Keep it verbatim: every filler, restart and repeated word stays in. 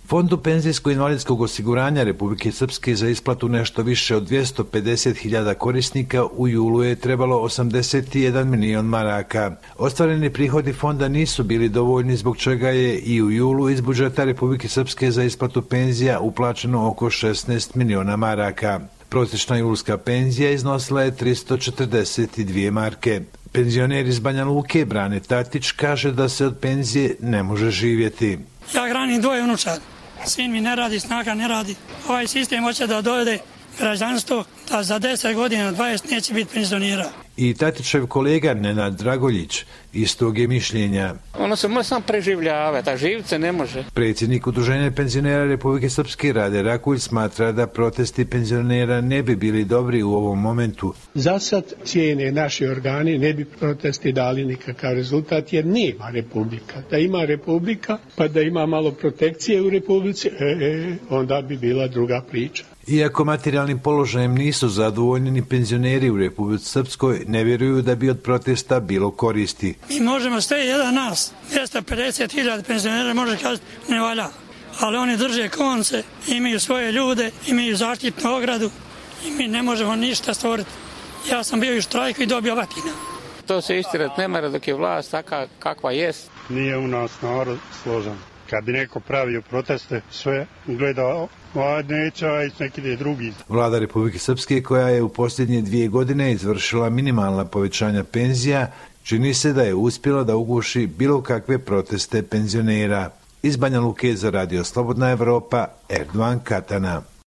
Fondu penzijsko-invalidskog osiguranja Republike Srpske za isplatu nešto više od dvjesto pedeset hiljada korisnika u julu je trebalo osamdeset jedan milion maraka. Ostvareni prihodi fonda nisu bili dovoljni, zbog čega je i u julu iz budžeta Republike Srpske za isplatu penzija uplaćeno oko šesnaest miliona maraka. Prosječna julska penzija iznosila je tristo četrdeset dvije marke. Penzioner iz Banja Luke Brane Tatić kaže da se od penzije ne može živjeti. Ja hranim dvoje unučad. Sin mi ne radi, snaga ne radi. Ovaj sistem hoće da dovede građanstvo da za deset godina, dvadeset neće biti penzionera. I Tatićev kolega Nenad Dragoljić istog je mišljenja. Ono se može sam preživljavati, a živit se ne može. Predsjednik Udruženja penzionera Republike Srpske Rade Rakulj smatra da protesti penzionera ne bi bili dobri u ovom momentu. Za sad cijene naši organi ne bi protesti dali nikakav rezultat jer nema republika. Da ima republika pa da ima malo protekcije u republici, e, e, onda bi bila druga priča. Iako materijalnim položajem nisu zadovoljni ni penzioneri u Republici Srpskoj, ne vjeruju da bi od protesta bilo koristi. Mi možemo sve jedan nas, dvjesto pedeset hiljada penzionera može kazati ne valja, ali oni drže konce, imaju svoje ljude, imaju zaštitnu ogradu i mi ne možemo ništa stvoriti. Ja sam bio u štrajku i dobio batina. To se istirat ne mora dok je vlast taka kakva jest. Nije u nas narod složan. Kad bi neko pravio proteste, sve gleda, a neće, a i neki drugi. Vlada Republike Srpske, koja je u posljednje dvije godine izvršila minimalna povećanja penzija, čini se da je uspjela da uguši bilo kakve proteste penzionera. Iz Banja Luke za Radio Slobodna Evropa, Erdovan Katana.